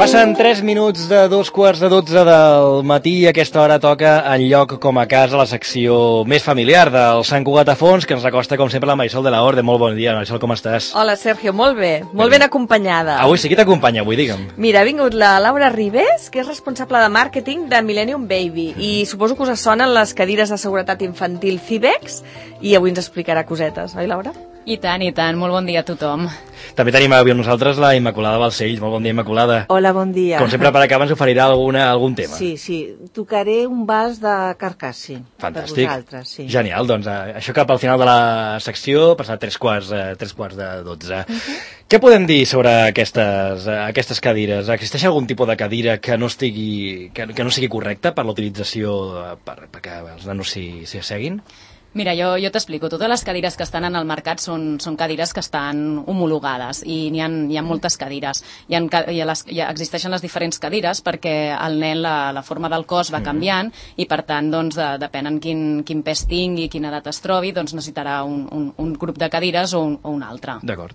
Passen 3 minuts de 2:45 del matí i a aquesta hora toca En lloc com a casa, la secció més familiar del Sant Cugat a Fons, que ens recosta, com sempre, la Marisol de la Orde. Molt bon dia, Marisol, com estàs? Hola, Sergio, molt bé. Molt ben acompanyada. Avui sí, qui t'acompanya avui, digue'm? Mira, ha vingut la Laura Ribés, que és responsable de màrqueting de Millennium Baby, i suposo que us sonen les cadires de seguretat infantil Cibex, i avui ens explicarà cosetes, oi, Laura? I tant, molt bon dia a tothom. També tenim avui amb nosaltres la Immaculada Balcells. Molt bon dia, Immaculada. Hola, bon dia. Com sempre, per acabar ens oferirà algun tema. Sí, tocaré un vals de Carcassi. Fantàstic. Per vosaltres, sí. Genial, doncs això cap al final de la secció, passat 3:15. Què podem dir sobre aquestes cadires? Existeix algun tipus de cadira que no sigui correcta per l'utilització perquè els nanos s'hi asseguin? Mira, jo t'explico. Totes les cadires que estan en el mercat són cadires que estan homologades i hi ha moltes cadires. Existeixen les diferents cadires perquè el nen, la forma del cos va canviant i, per tant, doncs, depèn en quin pes tingui, quina edat es trobi, doncs necessitarà un grup de cadires o un altre. D'acord.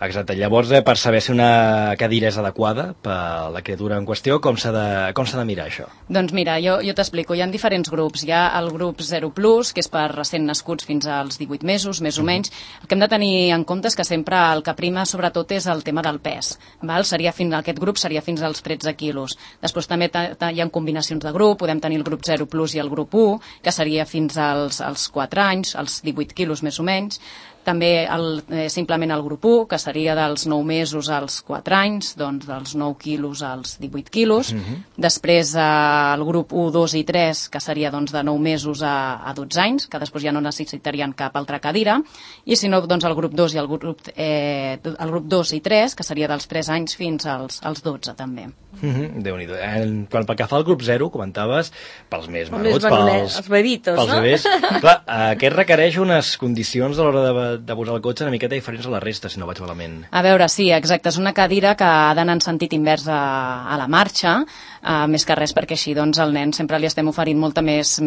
Exacte. Llavors, per saber si una cadira és adequada per la criatura en qüestió, com s'ha de mirar això? Doncs mira, jo t'explico. Hi ha diferents grups. Hi ha el grup 0+, que és per recent nascuts fins als 18 mesos, més o menys. El que hem de tenir en compte és que sempre el que prima, sobretot, és el tema del pes. Aquest grup seria fins als 13 quilos. Després també hi ha combinacions de grup. Podem tenir el grup 0+ i el grup 1, que seria fins als 4 anys, als 18 quilos, més o menys. També simplement el grup 1, que seria dels 9 mesos als 4 anys, doncs dels 9 quilos als 18 quilos. Després el grup 1, 2 i 3, que seria doncs, de 9 mesos a 12 anys, que després ja no necessitarien cap altra cadira. I si no, doncs el grup 2 i el grup 2 i 3, que seria dels 3 anys fins als 12 també. Déu-n'hi-do. Pel que fa al grup 0, comentaves, pels més menuts, els bebitos, pels bebès. Clar, aquest requereix unes condicions a l'hora de posar el cotxe una miqueta diferents a la resta, si no vaig malament. A veure, sí, exacte. És una cadira que ha d'anar en sentit invers a la marxa, més que res perquè així doncs, al nen sempre li estem oferint molta més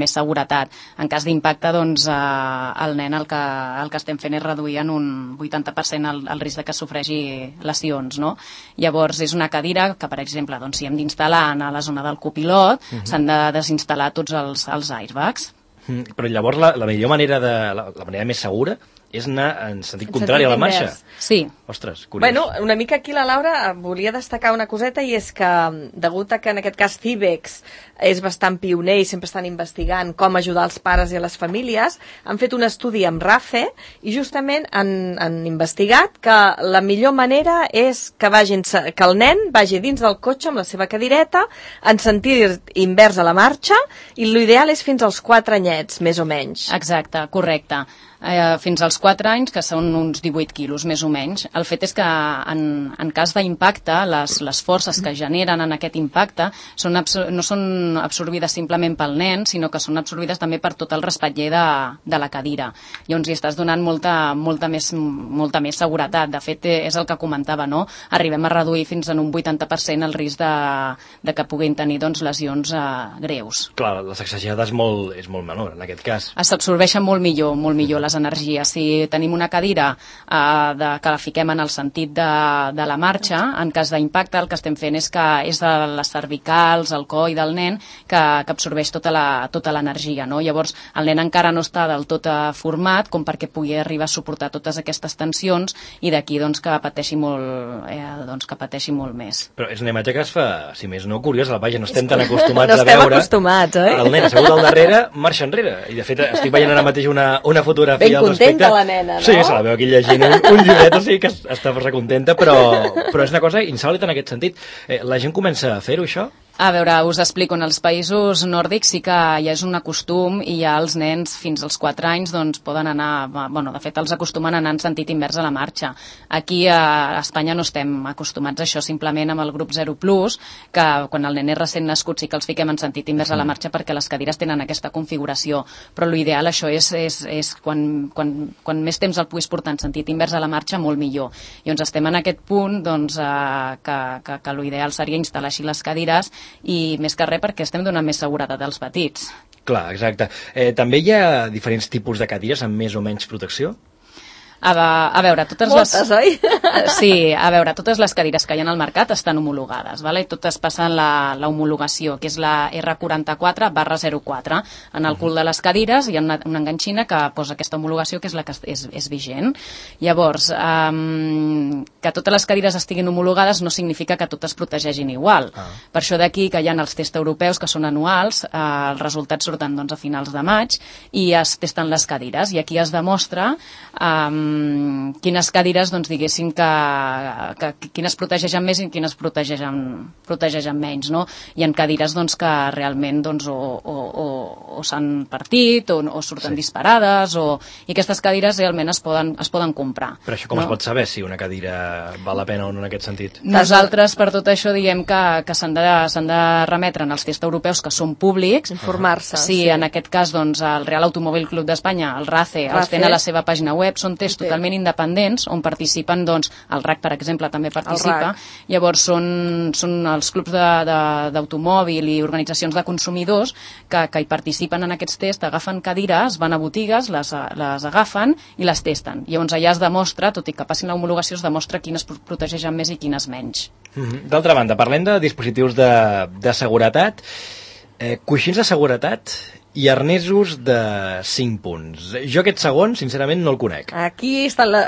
seguretat. En cas d'impacte, doncs, al nen el que estem fent és reduir en un 80% el risc de que sofreixi lesions, no? Llavors, és una cadira que, per exemple, doncs, si hem d'instal·lar a la zona del copilot, s'han de desinstal·lar tots els airbags. Però llavors la millor manera, la manera més segura és anar en sentit contrari a la marxa. Sí. Ostres, curiós. Bueno, una mica aquí la Laura volia destacar una coseta, i és que, degut a que en aquest cas Cibex és bastant pioner i sempre estan investigant com ajudar els pares i a les famílies, han fet un estudi amb RAFE i justament han investigat que la millor manera és que el nen vagi dins del cotxe amb la seva cadireta en sentit invers a la marxa, i l'ideal és fins als 4 anyets, més o menys. Exacte, correcte. Fins als 4 anys, que són uns 18 quilos, més o menys. El fet és que en cas d'impacte, les forces que generen en aquest impacte no són absorbides simplement pel nen, sinó que són absorbides també per tot el respatller de la cadira. Llavors hi estàs donant molta més seguretat. De fet, és el que comentava, no? Arribem a reduir fins en un 80% el risc de que puguin tenir doncs, lesions greus. Clar, la sacsejada és molt menor, en aquest cas. S'absorbeixen molt millor les energies. Si tenim una cadira que la fiquem en el sentit de la marxa, en cas d'impacte el que estem fent és de les cervicals, el coll del nen que absorbeix tota l'energia, no? Llavors el nen encara no està del tot format com perquè pugui arribar a suportar totes aquestes tensions, i d'aquí doncs, que pateixi molt més. Però és una imatge que es fa, si més no, curiosa. Vaja, no estem tan acostumats a veure. No estem acostumats, oi? El nen assegut al darrere, marxa enrere. I de fet estic veient ara mateix una fotografia ben contenta la nena, no? Sí, se la veu aquí llegint un llibret, o sigui que està força contenta, però és una cosa insòlita en aquest sentit. La gent comença a fer-ho, això? A veure, us explico. En els països nòrdics sí que ja és un costum, i ja els nens fins als 4 anys doncs, poden anar, de fet els acostumen a anar en sentit invers a la marxa. Aquí a Espanya no estem acostumats a això, simplement amb el grup 0+, que quan el nen és recent nascut sí que els fiquem en sentit invers a la marxa perquè les cadires tenen aquesta configuració, però l'ideal això és quan més temps el puguis portar en sentit invers a la marxa, molt millor. Llavors estem en aquest punt doncs, que l'ideal seria instal·lar així les cadires, i més que res perquè estem donant més seguretat als petits. Clar, exacte. També hi ha diferents tipus de cadires amb més o menys protecció? A veure, Moltes, oi? Sí, a veure, totes les cadires que hi ha al mercat estan homologades, vale? Totes passen la homologació, que és la R44/04. En el cul de les cadires hi ha una enganxina que posa aquesta homologació, que és la que és vigent. Llavors, que totes les cadires estiguin homologades no significa que totes protegeixin igual. Per això d'aquí que hi ha els tests europeus, que són anuals, els resultats surten doncs, a finals de maig, i es testen les cadires, i aquí es demostra quines cadires, doncs, diguéssim, que quines protegeixen més i quines protegeixen menys, no? Hi ha cadires doncs, que realment doncs, o s'han partit o surten disparades, i aquestes cadires realment es poden comprar. Però això com es pot saber si una cadira val la pena o no en aquest sentit? Nosaltres, per tot això, diem que s'han de remetre als tests europeus, que són públics. Informar-se. Sí, en aquest cas, doncs, el Real Automòbil Club d'Espanya, el RACE, els tenen a la seva pàgina web, són tests totalment independents, on participen, doncs, el RAC, per exemple, també participa. Llavors, són els clubs d'automòbil i organitzacions de consumidors que hi participen en aquests tests, agafen cadires, van a botigues, les agafen i les testen. Llavors, allà es demostra, tot i que passin l'homologació, es demostra quines protegeixen més i quines menys. D'altra banda, parlem de dispositius de seguretat, coixins de seguretat i arnesos de 5 punts. Jo aquest segon, sincerament, no el conec. Aquí està la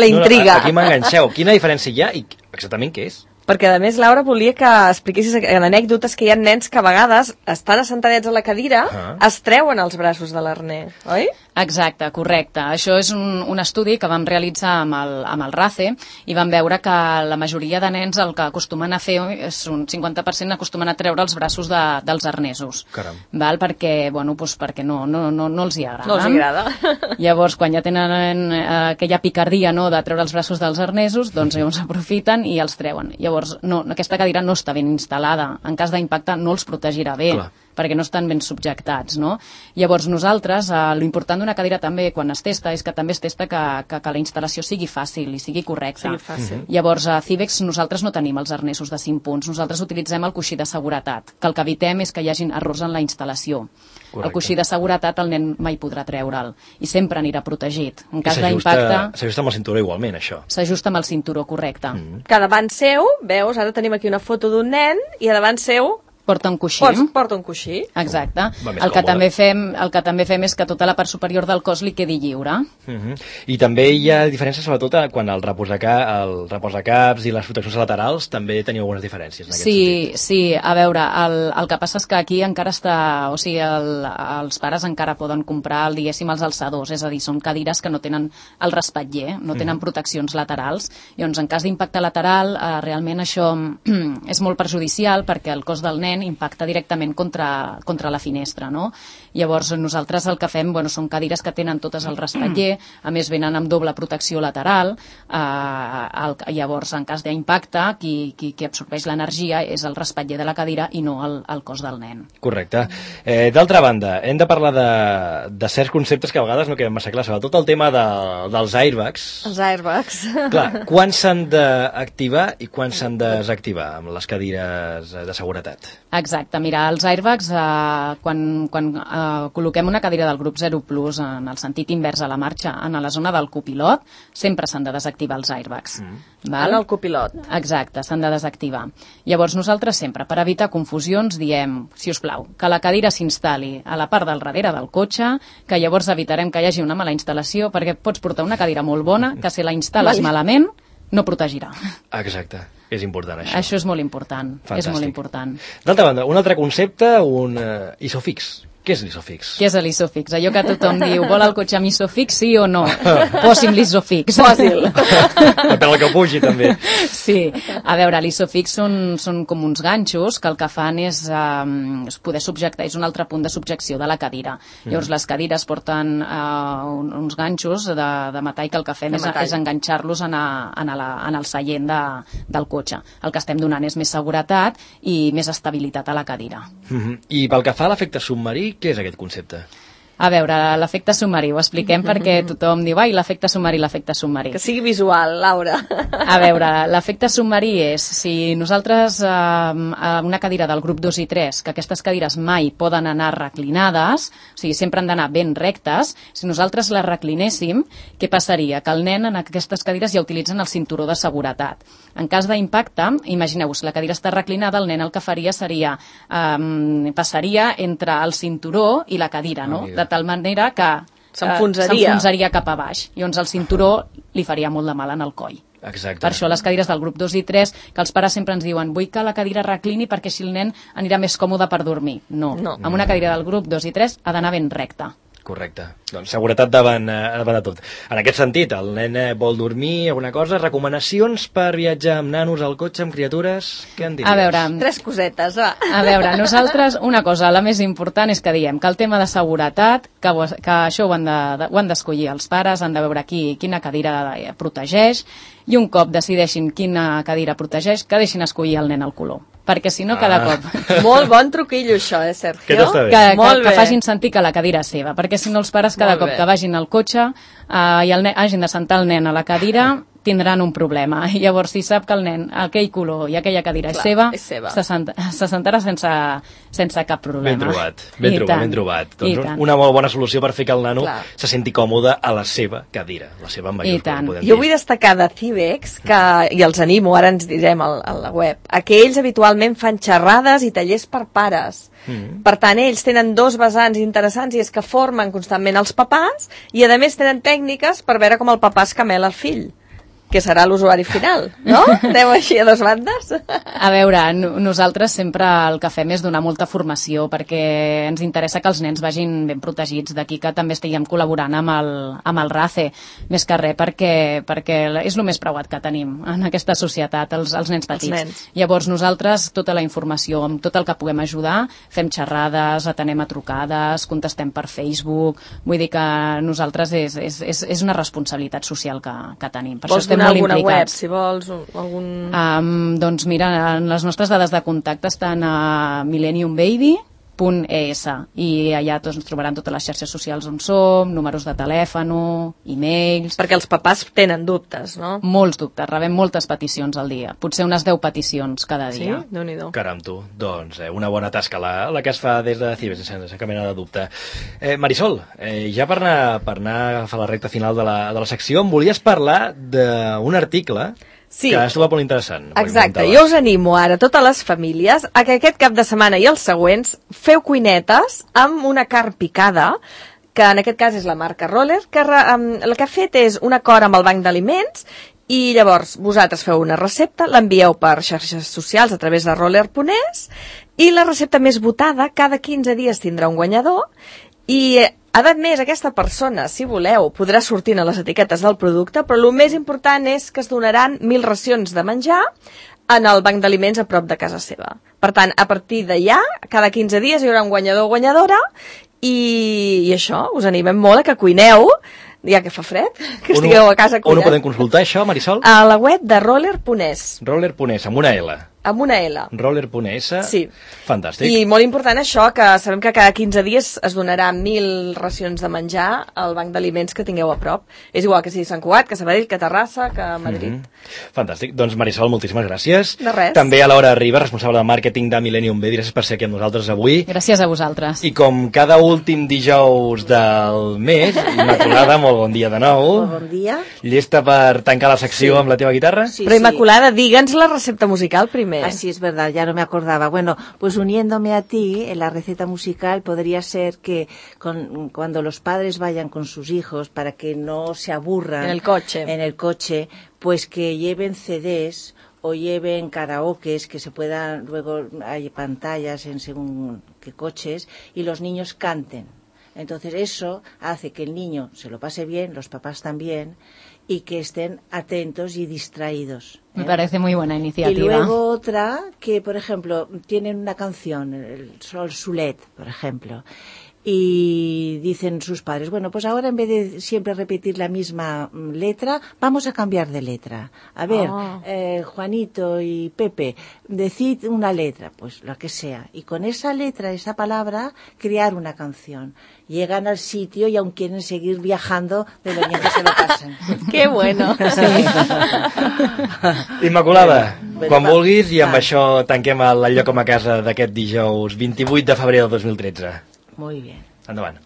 intriga. Aquí m'enganxeu. Quina diferència hi ha i exactament què és? Perquè, a més, Laura, volia que expliquessis en anècdotes que hi ha nens que a vegades estan assentadets a la cadira, es treuen els braços de l'arnès, oi? Exacte, correcte. Això és un estudi que vam realitzar amb el RACE i vam veure que la majoria de nens el que acostumen a fer és un 50% acostumen a treure els braços dels arnesos. Caram. Val? Perquè no els hi agrada. No els agrada. Llavors, quan ja tenen aquella picardia, no, de treure els braços dels arnesos, doncs llavors aprofiten i els treuen. Llavors, aquesta cadira no està ben instal·lada. En cas d'impacte no els protegirà bé. Clar. Perquè no estan ben subjectats, no? Llavors nosaltres, l'important d'una cadira també quan es testa és que també es testa que la instal·lació sigui fàcil i sigui correcta. Sigui fàcil. Llavors a Cibex nosaltres no tenim els arnesos de 5 punts, nosaltres utilitzem el coixí de seguretat, que el que evitem és que hi hagin errors en la instal·lació. Correcte. El coixí de seguretat el nen mai podrà treure'l i sempre anirà protegit. En cas d'impacte... S'ajusta amb el cinturó igualment, això. S'ajusta amb el cinturó, correcte. Que davant seu, veus, ara tenim aquí una foto d'un nen i a davant seu porta un coixí. Porta un coixí. Exacte. El que també fem és que tota la part superior del cos li quedi lliure. I també hi ha diferències, sobretot quan el reposacaps i les proteccions laterals també teniu algunes diferències en aquest sentit. Sí, a veure, el que passa és que aquí encara està, o sigui, els pares encara poden comprar, diguéssim, els alçadors, és a dir, són cadires que no tenen el respatller, no tenen proteccions laterals. Llavors, en cas d'impacte lateral, realment això és molt perjudicial perquè el cos del nen impacta directament contra la finestra, no? Llavors nosaltres el que fem són cadires que tenen totes el respatller, a més venen amb doble protecció lateral, llavors en cas d'impacte qui absorbeix l'energia és el respatller de la cadira i no el cos del nen. Correcte. D'altra banda, hem de parlar de certs conceptes que a vegades no queden massa clars, sobretot el tema dels airbags. Els airbags. Clar, quan s'han d'activar i quan s'han de desactivar amb les cadires de seguretat? Exacte, mira, els airbags, quan col·loquem una cadira del grup 0 Plus en el sentit invers a la marxa, en la zona del copilot, sempre s'han de desactivar els airbags. Val? En el copilot. Exacte, s'han de desactivar. Llavors nosaltres sempre, per evitar confusions, diem, si us plau, que la cadira s'instal·li a la part del darrere del cotxe, que llavors evitarem que hi hagi una mala instal·lació, perquè pots portar una cadira molt bona, que si la instal·les malament, no protegirà. Exacte. És important, això. Això és molt important. Fantàstic. És molt important. D'altra banda, un altre concepte, un isofix. Què és l'isofix? Què és l'isofix? Allò que tothom diu, vol el cotxe amb isofix, sí o no? Posi'm l'isofix. Posi'l. Per la que pugi, també. Sí. A veure, l'isofix són com uns ganxos que el que fan és poder subjectar, és un altre punt de subjecció de la cadira. Llavors, les cadires porten uns ganxos de metall que el que fem és enganxar-los en el seient del cotxe. El que estem donant és més seguretat i més estabilitat a la cadira. I pel que fa a l'efecte submarí, què és aquest concepte? A veure, l'efecte submarí, ho expliquem perquè tothom diu, ai, l'efecte submarí. Que sigui visual, Laura. A veure, l'efecte submarí és, si nosaltres, a una cadira del grup 2 i 3, que aquestes cadires mai poden anar reclinades, o sigui, sempre han d'anar ben rectes, si nosaltres les reclinéssim, què passaria? Que el nen en aquestes cadires ja utilitzen el cinturó de seguretat. En cas d'impacte, imagineu-vos, la cadira està reclinada, el nen el que faria seria, passaria entre el cinturó i la cadira, no? De tal manera que s'enfonsaria cap a baix. Llavors el cinturó li faria molt de mal en el coll. Exacte. Per això les cadires del grup 2 i 3, que els pares sempre ens diuen vull que la cadira reclini perquè així el nen anirà més còmode per dormir. No. Amb una cadira del grup 2 i 3 ha d'anar ben recta. Correcte. Doncs seguretat davant de tot. En aquest sentit, el nen vol dormir, alguna cosa, recomanacions per viatjar amb nanos al cotxe, amb criatures, què en diries? A veure, 3 cosetes, va. A veure, nosaltres, una cosa, la més important és que diem que el tema de seguretat, que això ho han d'escollir els pares, han de veure quina cadira protegeix, i un cop decideixin quina cadira protegeix, que deixin escollir el nen el color. Perquè si no, cada cop... Molt bon truquillo, això, Sergio? Aquest està bé. Que facin sentir que la cadira és seva, perquè si no els pares cada cop que vagin al cotxe i hagin de sentar el nen a la cadira tindran un problema. I llavors, si sap que el nen, aquell color i aquella cadira és seva, se sentarà sense cap problema. Ben trobat. Doncs una molt bona solució per fer que el nano se senti còmode a la seva cadira, la seva amb majúscules. Jo vull destacar de Cibex, i els animo, ara ens direm a la web, que ells habitualment fan xerrades i tallers per pares. Per tant, ells tenen 2 vessants interessants i és que formen constantment els papàs i a més tenen tècniques per veure com el papà es camela el fill, que serà l'usuari final, no? Anem així a 2 bandes? A veure, nosaltres sempre el que fem és donar molta formació perquè ens interessa que els nens vagin ben protegits, d'aquí que també estiguem col·laborant amb el RACE, més que res perquè és el més preuat que tenim en aquesta societat, els nens petits. Llavors nosaltres, tota la informació, amb tot el que puguem ajudar, fem xerrades, atenem a trucades, contestem per Facebook, vull dir que nosaltres és una responsabilitat social que tenim. Per això estem alguna web, si vols, algun... Doncs mira, les nostres dades de contacte estan a millenniumbaby.es i allà ens trobaran totes les xarxes socials on som, números de telèfon, e-mails... Perquè els papàs tenen dubtes, no? Molts dubtes, rebem moltes peticions al dia, potser unes 10 peticions cada dia. Sí? Déu-n'hi-do. Caram, tu. Doncs una bona tasca la que es fa des de Cibex, sense cap mena de dubte. Marisol, ja per anar a agafar la recta final de la secció, em volies parlar d'un article... Sí. Que has trobat molt interessant. Exacte, jo us animo ara, totes les famílies, a que aquest cap de setmana i els següents feu cuinetes amb una carn picada, que en aquest cas és la marca Roller, que el que ha fet és un acord amb el Banc d'Aliments i llavors vosaltres feu una recepta, l'envieu per xarxes socials a través de roller.es i la recepta més votada cada 15 dies tindrà un guanyador i a més, aquesta persona, si voleu, podrà sortir a les etiquetes del producte, però el més important és que es donaran 1.000 racions de menjar en el banc d'aliments a prop de casa seva. Per tant, a partir d'allà, cada 15 dies hi haurà un guanyador o guanyadora i això, us animem molt a que cuineu, ja que fa fred, que estigueu a casa cuinant. On ho podem consultar, això, Marisol? A la web de roller.es. Roller.es, amb una L. Amb una L. Roller.es. Sí. Fantàstic. I molt important això, que sabem que cada 15 dies es donarà 1.000 racions de menjar al banc d'aliments que tingueu a prop. És igual que sigui Sant Cugat, que Sabadell, que Terrassa, que Madrid. Fantàstic. Doncs Marisol, moltíssimes gràcies. De res. També a Laura Ribas, responsable de màrqueting de Millennium Baby. Gràcies per ser aquí amb nosaltres avui. Gràcies a vosaltres. I com cada últim dijous del mes, Immaculada, molt bon dia de nou. Molt bon dia. Llesta per tancar la secció amb la teva guitarra? Sí, Però Immaculada, digue'ns la recepta musical primer. Así es verdad, ya no me acordaba. Bueno, pues uniéndome a ti, la receta musical podría ser que cuando los padres vayan con sus hijos para que no se aburran en el coche, pues que lleven CDs o lleven karaokes, que se puedan, luego hay pantallas en según qué coches, y los niños canten. Entonces eso hace que el niño se lo pase bien, los papás también, y que estén atentos y distraídos. Me parece muy buena iniciativa. Y luego otra que, por ejemplo, tienen una canción, el Sol Sulet, por ejemplo, y dicen sus padres, bueno, pues ahora en vez de siempre repetir la misma letra, vamos a cambiar de letra. A ver, Juanito y Pepe, decid una letra, pues la que sea, y con esa letra, esa palabra, crear una canción. Llegan al sitio y aún quieren seguir viajando de lo bien que se lo pasan. Que bueno. Immaculada, quan vulguis, i amb això tanquem el lloc com a casa d'aquest dijous 28 de febrer del 2013. Muy bien. Endavant.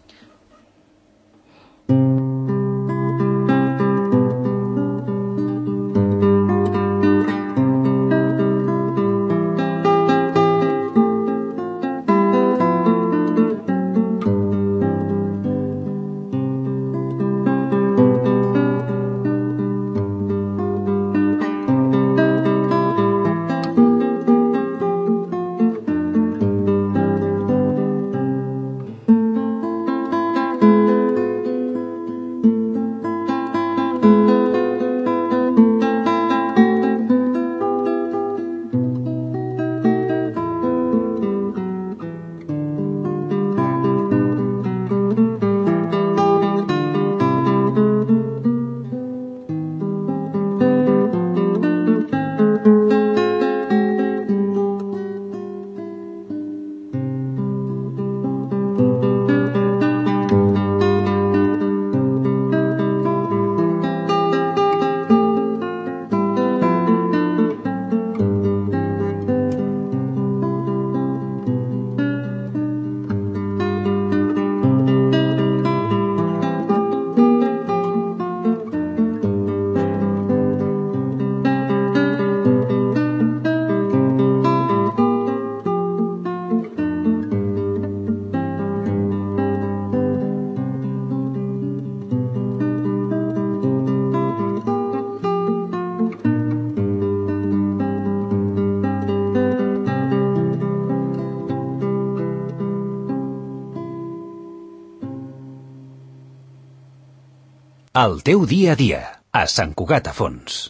El teu dia a dia, a Sant Cugat a Fons.